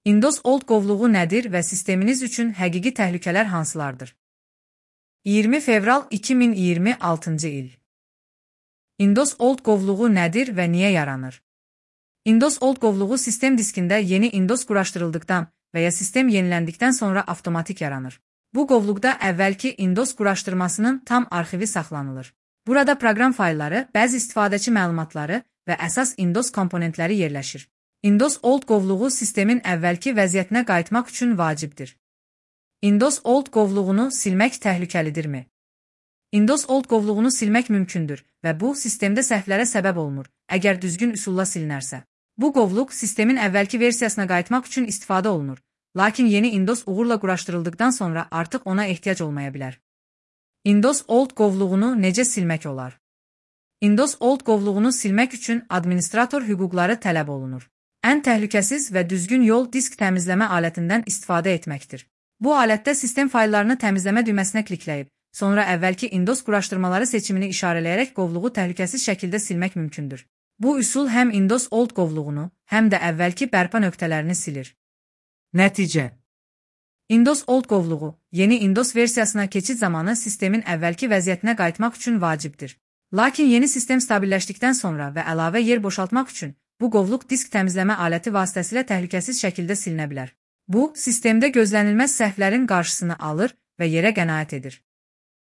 Windows Old qovluğu nədir və sisteminiz üçün həqiqi təhlükələr hansılardır? 20 fevral 2026-cı il. Windows Old qovluğu nədir və niyə yaranır? Windows Old qovluğu sistem diskində yeni Windows quraşdırıldıqdan və ya sistem yeniləndikdən sonra avtomatik yaranır. Bu qovluqda əvvəlki Windows quraşdırmasının tam arxivi saxlanılır. Burada proqram faylları, bəzi istifadəçi məlumatları və əsas Windows komponentləri yerləşir. Windows Old qovluğu sistemin əvvəlki vəziyyətinə qayıtmaq üçün vacibdir. Windows Old qovluğunu silmək təhlükəlidirmi? Windows Old qovluğunu silmək mümkündür və bu, sistemdə səhvlərə səbəb olmur, əgər düzgün üsulla silinərsə. Bu qovluq sistemin əvvəlki versiyasına qayıtmaq üçün istifadə olunur, lakin yeni Windows uğurla quraşdırıldıqdan sonra artıq ona ehtiyac olmaya bilər. Windows Old qovluğunu necə silmək olar? Windows Old qovluğunu silmək üçün administrator hüquqları tələb olunur. Ən təhlükəsiz və düzgün yol disk təmizləmə alətindən istifadə etməkdir. Bu alətdə sistem fayllarını təmizləmə düyməsinə klikləyib, sonra əvvəlki Windows quraşdırmaları seçimini işarələyərək qovluğu təhlükəsiz şəkildə silmək mümkündür. Bu üsul həm Windows Old qovluğunu, həm də əvvəlki bərpa nöqtələrini silir. Nəticə: Windows Old qovluğu yeni Windows versiyasına keçid zamanı sistemin əvvəlki vəziyyətinə qayıtmaq üçün vacibdir. Lakin yeni sistem stabilləşdikdən sonra və əlavə yer boşaltmaq üçün bu qovluq disk təmizləmə aləti vasitəsilə təhlükəsiz şəkildə silinə bilər. Bu, sistemdə gözlənilməz səhvlərin qarşısını alır və yerə qənaət edir.